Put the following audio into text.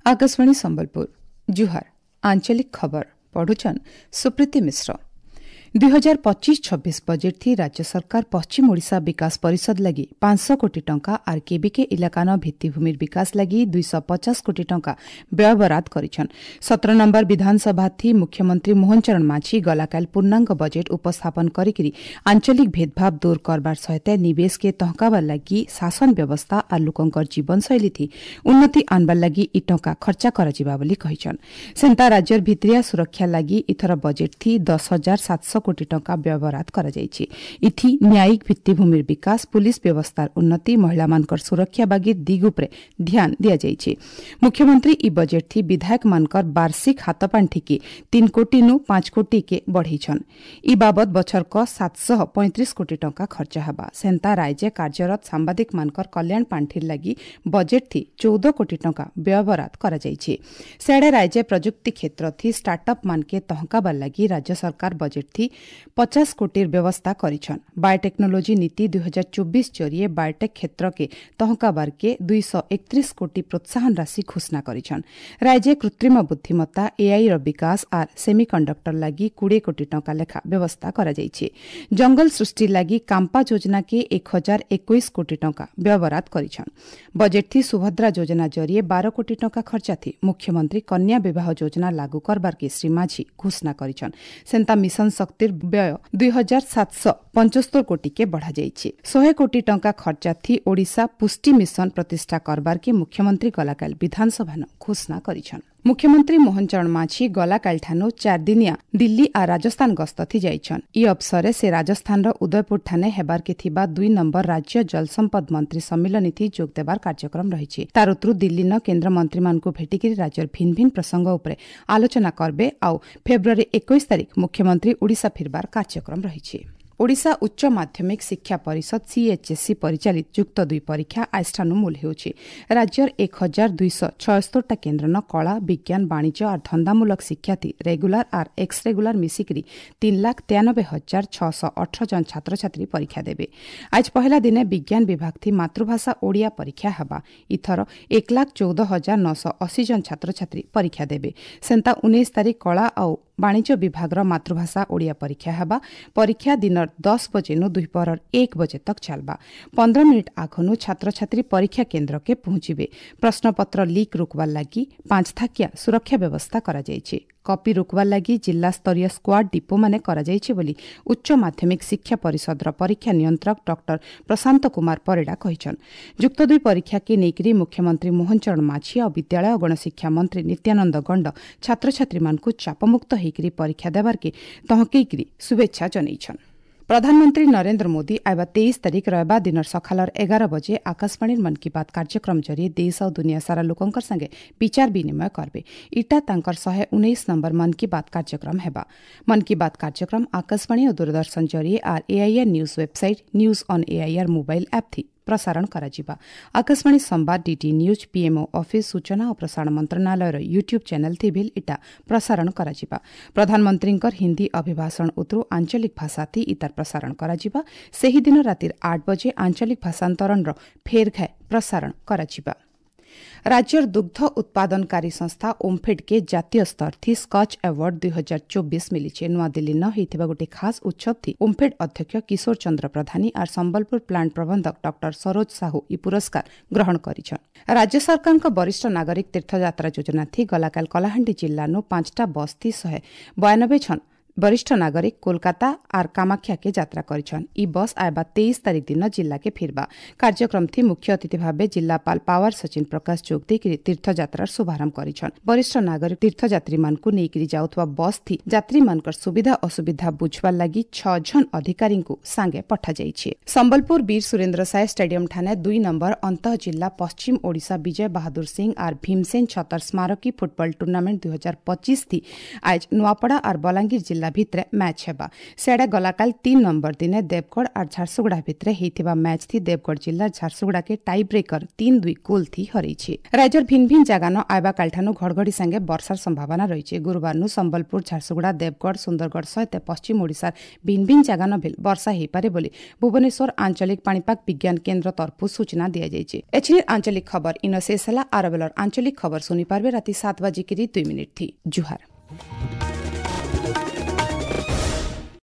ଆକାଶବାଣୀ ସମ୍ବଲପୁର, ଜୁହାର। ଆଞ୍ଚଳିକ ଖବର ପଢୁଛନ୍ ସୁପ୍ରୀତି ମିଶ୍ର। 2025-26 ବଜେଟ୍ ଥି ରାଜ୍ୟ ସରକାର ପଶ୍ଚିମ ଓଡ଼ିଶା ବିକାଶ ପରିଷଦ ଲାଗି 500 କୋଟି ଟଙ୍କା ଆର୍ କେବିକେ ଇଲାକାନ ଭିତ୍ତିଭୂମିର ବିକାଶ ଲାଗି 250 କୋଟି ଟଙ୍କା ବ୍ୟୟବରାଦ କରିଛନ୍। 17 ନମ୍ବର ବିଧାନସଭା ଥି ମୁଖ୍ୟମନ୍ତ୍ରୀ ମୋହନ ଚରଣ ମାଝୀ ଗଲାକାଲ ପୂର୍ଣ୍ଣାଙ୍ଗ ବଜେଟ୍ ଉପସ୍ଥାପନ କରିକିରି ଆଞ୍ଚଳିକ ଭେଦଭାବ ଦୂର କରବାର ସହିତ ନିବେଶକେ ତହକାବାର ଲାଗି ଶାସନ ବ୍ୟବସ୍ଥା ଆର୍ ଲୋକଙ୍କର ଜୀବନଶୈଳୀ ଥି ଉନ୍ନତି ଆନବାର ଲାଗି ଇ ଟଙ୍କା ଖର୍ଚ୍ଚା କରାଯିବା ବୋଲି କହିଛନ୍। ସେନ୍ତା ରାଜ୍ୟର ଭିତିରିଆ ସୁରକ୍ଷା ଲାଗି ଇଥର ବଜେଟ୍ ଥି 10,700 କୋଟି ଟଙ୍କା ବ୍ୟୟବରାଦ କରାଯାଇଛି। ଇଥି ନ୍ୟାୟିକ ଭିତ୍ତିଭୂମିର ବିକାଶ, ପୁଲିସ ବ୍ୟବସ୍ଥାର ଉନ୍ନତି, ମହିଳାମାନଙ୍କର ସୁରକ୍ଷା ବାଗି ଦିଗ ଉପରେ ଧ୍ୟାନ ଦିଆଯାଇଛି। ମୁଖ୍ୟମନ୍ତ୍ରୀ ଇ ବଜେଟ୍ ଥି ବିଧାୟକମାନଙ୍କର ବାର୍ଷିକ ହାତପାଣ୍ଠିକି 3 କୋଟିନୁ 5 କୋଟିକେ ବଢ଼େଇଛନ୍। ଇ ବାବଦ ବଛରକ 735 କୋଟି ଟଙ୍କା ଖର୍ଚ୍ଚ ହେବା। ସେନ୍ତା ରାଜ୍ୟ କାର୍ଯ୍ୟରତ ସାମ୍ବାଦିକମାନଙ୍କର କଲ୍ୟାଣ ପାଣ୍ଠିର ଲାଗି ବଜେଟ୍ ଥି 14 କୋଟି ଟଙ୍କା ବ୍ୟୟବରାଦ କରାଯାଇଛି। ସେଆଡ଼େ ରାଜ୍ୟ ପ୍ରଯୁକ୍ତି କ୍ଷେତ୍ର ଥି ଷ୍ଟାର୍ଟଅପ୍ ମାନକେ ତହକାବାର ଲାଗି ରାଜ୍ୟ ସରକାର ବଜେଟ୍ ଥି 50 କୋଟିର ବ୍ୟବସ୍ଥା କରିଛନ୍। ବାୟୋଟେକ୍ନୋଲୋଜି ନୀତି 2024 ଜରିଏ ବାୟୋଟେକ୍ କ୍ଷେତ୍ରକେ ତହକାବାରକେ 231 କୋଟି ପ୍ରୋତ୍ସାହନ ରାଶି ଘୋଷଣା କରିଛନ୍। ରାଜ୍ୟ କୃତ୍ରିମ ବୁଦ୍ଧିମତ୍ତା ଏଆଇର ବିକାଶ ଆର୍ ସେମିକଣ୍ଡକ୍ଟର ଲାଗି 20 କୋଟି ଟଙ୍କା ଲେଖା ବ୍ୟବସ୍ଥା କରାଯାଇଛି। ଜଙ୍ଗଲ ସୃଷ୍ଟି ଲାଗି କାମ୍ପା ଯୋଜନାକେ 1021 କୋଟି ଟଙ୍କା ବ୍ୟୟବରାଦ କରିଛନ୍। ବଜେଟ୍ ଥି ସୁଭଦ୍ରା ଯୋଜନା ଜରିଏ 12 କୋଟି ଟଙ୍କା ଖର୍ଚ୍ଚା ଥି ମୁଖ୍ୟମନ୍ତ୍ରୀ କନ୍ୟା ବିବାହ ଯୋଜନା ଲାଗୁ କରବାରକେ ଶ୍ରୀ ମାଝୀ ଘୋଷଣା କରିଛନ୍। ସେନ୍ତା ମିଶନ ଶକ୍ତିର ବ୍ୟୟ 2775 କୋଟିକେ ବଢ଼ାଯାଇଛି। 100 କୋଟି ଟଙ୍କା ଖର୍ଚ୍ଚା ଥି ଓଡ଼ିଶା ପୁଷ୍ଟି ମିଶନ ପ୍ରତିଷ୍ଠା କରବାରକେ ମୁଖ୍ୟମନ୍ତ୍ରୀ ଗଲାକାଲ ବିଧାନସଭାନ ଘୋଷଣା କରିଛନ୍। ମୁଖ୍ୟମନ୍ତ୍ରୀ ମୋହନ ଚରଣ ମାଝୀ ଗଲାକାଲିଠାନୁ 4 ଦିନିଆ ଦିଲ୍ଲୀ ଆର୍ ରାଜସ୍ଥାନ ଗସ୍ତ ଥି ଯାଇଛନ୍। ଇ ଅବସରରେ ସେ ରାଜସ୍ଥାନର ଉଦୟପୁର ଠାନେ ହେବାରକେ ଥିବା 2 ନମ୍ବର ରାଜ୍ୟ ଜଳସମ୍ପଦ ମନ୍ତ୍ରୀ ସମ୍ମିଳନୀ ଥି ଯୋଗ ଦେବାର କାର୍ଯ୍ୟକ୍ରମ ରହିଛି। ତାର ଉତରୁ ଦିଲ୍ଲୀନ କେନ୍ଦ୍ର ମନ୍ତ୍ରୀମାନଙ୍କୁ ଭେଟିକିରି ରାଜ୍ୟର ଭିନ୍ନ ଭିନ୍ନ ପ୍ରସଙ୍ଗ ଉପରେ ଆଲୋଚନା କରବେ। ଆଉ ଫେବୃଆରୀ 21 ତାରିଖ ମୁଖ୍ୟମନ୍ତ୍ରୀ ଓଡ଼ିଶା ଫିରବାର କାର୍ଯ୍ୟକ୍ରମ ରହିଛି। ଓଡ଼ିଶା ଉଚ୍ଚ ମାଧ୍ୟମିକ ଶିକ୍ଷା ପରିଷଦ ସିଏଚ୍ଏସ୍ଇ ପରିଚାଳିତ ଯୁକ୍ତ ଦୁଇ ପରୀକ୍ଷା ଆଜିଠାନୁ ମୂଲ ହେଉଛି। ରାଜ୍ୟର 1276ଟା କେନ୍ଦ୍ରନ କଳା, ବିଜ୍ଞାନ, ବାଣିଜ୍ୟ ଆର୍ ଧନ୍ଦାମୂଳକ ଶିକ୍ଷାଥି ରେଗୁଲାର ଆର୍ ଏକ୍ସ ରେଗୁଲାର ମିଶିକିରି 3,93,618 ଜଣ ଛାତ୍ରଛାତ୍ରୀ ପରୀକ୍ଷା ଦେବେ। ଆଜ ପହିଲା ଦିନେ ବିଜ୍ଞାନ ବିଭାଗ ଥି ମାତୃଭାଷା ଓଡ଼ିଆ ପରୀକ୍ଷା ହେବା। ଇଥର 1,14,980 ଜଣ ଛାତ୍ରଛାତ୍ରୀ ପରୀକ୍ଷା ଦେବେ। ସେନ୍ତା 19 ତାରିଖ କଳା ଆଉ ବାଣିଜ୍ୟ ବିଭାଗର ମାତୃଭାଷା ଓଡ଼ିଆ ପରୀକ୍ଷା ହେବା। ପରୀକ୍ଷା ଦିନର 10 ବଜେନୁ ଦୁଇପହରର 1 ବଜେ ତକ୍ ଚାଲବା। 15 ମିନିଟ୍ ଆଘନୁ ଛାତ୍ରଛାତ୍ରୀ ପରୀକ୍ଷା କେନ୍ଦ୍ରକେ ପହଞ୍ଚିବେ। ପ୍ରଶ୍ନପତ୍ର ଲିକ୍ ରୋକବାର ଲାଗି 5 ଥାକିଆ ସୁରକ୍ଷା ବ୍ୟବସ୍ଥା କରାଯାଇଛି। କପି ରୋକବାର ଲାଗି ଜିଲ୍ଲାସ୍ତରୀୟ ସ୍କ୍ୱାଡ୍ ଡିପୋମାନେ କରାଯାଇଛି ବୋଲି ଉଚ୍ଚ ମାଧ୍ୟମିକ ଶିକ୍ଷା ପରିଷଦର ପରୀକ୍ଷା ନିୟନ୍ତ୍ରକ ଡକ୍ଟର ପ୍ରଶାନ୍ତ କୁମାର ପରିଡ଼ା କହିଛନ୍। ଯୁକ୍ତ ଦୁଇ ପରୀକ୍ଷାକେ ନେଇକରି ମୁଖ୍ୟମନ୍ତ୍ରୀ ମୋହନ ଚରଣ ମାଝୀ ଆଉ ବିଦ୍ୟାଳୟ ଓ ଗଣଶିକ୍ଷା ମନ୍ତ୍ରୀ ନିତ୍ୟାନନ୍ଦ ଗଣ୍ଡ ଛାତ୍ରଛାତ୍ରୀମାନଙ୍କୁ ଚାପମୁକ୍ତ ହେଇକରି ପରୀକ୍ଷା ଦେବାର୍କେ ତହକେଇକରି ଶୁଭେଚ୍ଛା ଜଣାଇଛନ୍। ପ୍ରଧାନମନ୍ତ୍ରୀ ନରେନ୍ଦ୍ର ମୋଦି ଆଇବା 23 ତାରିଖ ରବିବାର ଦିନର ସକାଳର 11 ବଜେ ଆକାଶବାଣୀର ମନ୍ କି ବାତ୍ କାର୍ଯ୍ୟକ୍ରମ ଜରିଏ ଦେଶ ଆଉ ଦୁନିଆ ସାରା ଲୋକଙ୍କର ସାଙ୍ଗେ ବିଚାର ବିନିମୟ କରବେ। ଇଟା ତାଙ୍କର 119 ନମ୍ବର ମନ୍ କି ବାତ୍ କାର୍ଯ୍ୟକ୍ରମ ହେବା। ମନ୍ କି ବାତ୍ କାର୍ଯ୍ୟକ୍ରମ ଆକାଶବାଣୀ ଓ ଦୂରଦର୍ଶନ ଜରିଏ ଆର୍ AIR news website, news on AIR mobile app ଥି ପ୍ରସାରଣ କରାଯିବା। ଆକାଶବାଣୀ ସମ୍ବାଦ, ଡିଡି ନ୍ୟୁଜ୍, ପିଏମ୍ଓ ଅଫିସ୍, ସୂଚନା ଓ ପ୍ରସାରଣ ମନ୍ତ୍ରଣାଳୟର ୟୁଟ୍ୟୁବ୍ ଚ୍ୟାନେଲ୍ ଥି ଭିଲ୍ ଇଟା ପ୍ରସାରଣ କରାଯିବା। ପ୍ରଧାନମନ୍ତ୍ରୀଙ୍କର ହିନ୍ଦୀ ଅଭିଭାଷଣ ଉତରୁ ଆଞ୍ଚଳିକ ଭାଷା ଥି ଇତାର ପ୍ରସାରଣ କରାଯିବା। ସେହିଦିନ ରାତିର 8 ବଜେ ଆଞ୍ଚଳିକ ଭାଷାନ୍ତରଣର ଫେର୍ ଘାଏ ପ୍ରସାରଣ କରାଯିବା। ରାଜ୍ୟର ଦୁଗ୍ଧ ଉତ୍ପାଦନକାରୀ ସଂସ୍ଥା ଓମ୍ଫେଡ୍କେ ଜାତୀୟ ସ୍ତର ଥି ସ୍କଚ୍ ଆୱାର୍ଡ 2024 ମିଲିଛେ। ନୂଆଦିଲ୍ଲୀନ ହେଇଥିବା ଗୋଟିଏ ଖାସ୍ ଉତ୍ସବ ଥି ଓମ୍ଫେଡ୍ ଅଧ୍ୟକ୍ଷ କିଶୋର ଚନ୍ଦ୍ର ପ୍ରଧାନୀ ଆର୍ ସମ୍ବଲପୁର ପ୍ଲାଣ୍ଟ ପ୍ରବନ୍ଧକ ଡକ୍ଟର ସରୋଜ ସାହୁ ଇ ପୁରସ୍କାର ଗ୍ରହଣ କରିଛନ୍। ରାଜ୍ୟ ସରକାରଙ୍କ ବରିଷ୍ଠ ନାଗରିକ ତୀର୍ଥଯାତ୍ରା ଯୋଜନା ଥି ଗଲାକାଲ କଳାହାଣ୍ଡି ଜିଲ୍ଲାନୁ 5ଟା ବସ୍ ଥି 192 ଜଣ ବରିଷ୍ଠ ନାଗରିକ କୋଲକାତା ଆର୍ କାମାକ୍ଷାକେ ଯାତ୍ରା କରିଛନ୍। ଇ ବସ୍ ଆଇବା 23 ତାରିଖ ଦିନ ଜିଲ୍ଲାକେ ଫିରବା। କାର୍ଯ୍ୟକ୍ରମ ଥି ମୁଖ୍ୟ ଅତିଥି ଭାବେ ଜିଲ୍ଲାପାଳ ପାୱାର ସଚିନ ପ୍ରକାଶ ଯୋଗ ଦେଇକରି ତୀର୍ଥଯାତ୍ରାର ଶୁଭାରମ୍ଭ କରିଛନ୍। ବରିଷ୍ଠ ନାଗରିକ ତୀର୍ଥଯାତ୍ରୀମାନଙ୍କୁ ନେଇକରି ଯାଉଥିବା ବସ୍ ଥି ଯାତ୍ରୀମାନଙ୍କର ସୁବିଧା ଅସୁବିଧା ବୁଝବାର ଲାଗି 6 ଜଣ ଅଧିକାରୀଙ୍କୁ ସାଙ୍ଗେ ପଠାଯାଇଛି। ସମ୍ବଲପୁର ବୀର ସୁରେନ୍ଦ୍ର ସାଏ ଷ୍ଟାଡିୟମ ଠାନେ 2 ନମ୍ବର ଅନ୍ତଃ ଜିଲ୍ଲା ପଶ୍ଚିମ ଓଡ଼ିଶା ବିଜୟ ବାହାଦୁର ସିଂ ଆର୍ ଭୀମସେନ ଛତର ସ୍ମାରକୀ ଫୁଟବଲ ଟୁର୍ଣ୍ଣାମେଣ୍ଟ 2025 ଥି ଆଜ ନୂଆପଡ଼ା ଆର୍ ବଲାଙ୍ଗୀର ଜିଲ୍ଲାର ଜିଲ୍ଲା ଭିତରେ ମ୍ୟାଚ୍ ହେବା। ସିଆଡ଼େ ଗଲାକାଲ 3 ନମ୍ବର ଦିନେ ଦେବଗଡ଼ ଆର୍ ଝାରସୁଗୁଡ଼ା ଭିତରେ ହେଇଥିବା ମ୍ୟାଚ୍ ଥି ଦେବଗଡ଼ ଜିଲ୍ଲା ଝାରସୁଗୁଡ଼ାକେ ଟାଇ ବ୍ରେକର 3-2 ଗୋଲ୍ ଥି ହରେଇଛି। ରାଜ୍ୟର ଭିନ୍ ଭିନ୍ ଜାଗାନ ଆଇବା କାଲଠାନୁ ଘଡ଼ଘଡ଼ି ସାଙ୍ଗେ ବର୍ଷାର ସମ୍ଭାବନା ରହିଛି। ଗୁରୁବାରନୁ ସମ୍ବଲପୁର, ଝାରସୁଗୁଡ଼ା, ଦେବଗଡ଼, ସୁନ୍ଦରଗଡ଼ ସହିତ ପଶ୍ଚିମ ଓଡ଼ିଶାର ଭିନ୍ ଭିନ୍ ଜାଗାନ ଭିଲ୍ ବର୍ଷା ହେଇପାରେ ବୋଲି ଭୁବନେଶ୍ୱର ଆଞ୍ଚଳିକ ପାଣିପାଗ ବିଜ୍ଞାନ କେନ୍ଦ୍ର ତରଫରୁ ସୂଚନା ଦିଆଯାଇଛି। ଏଛିନି ଆଞ୍ଚଳିକ ଖବର ଇନ ଶେଷ ହେଲା। ଆର ବେଲର ଆଞ୍ଚଳିକ ଖବର ଶୁଣିପାରିବେ ରାତି 7:02 ଥି। ଜୁହାର।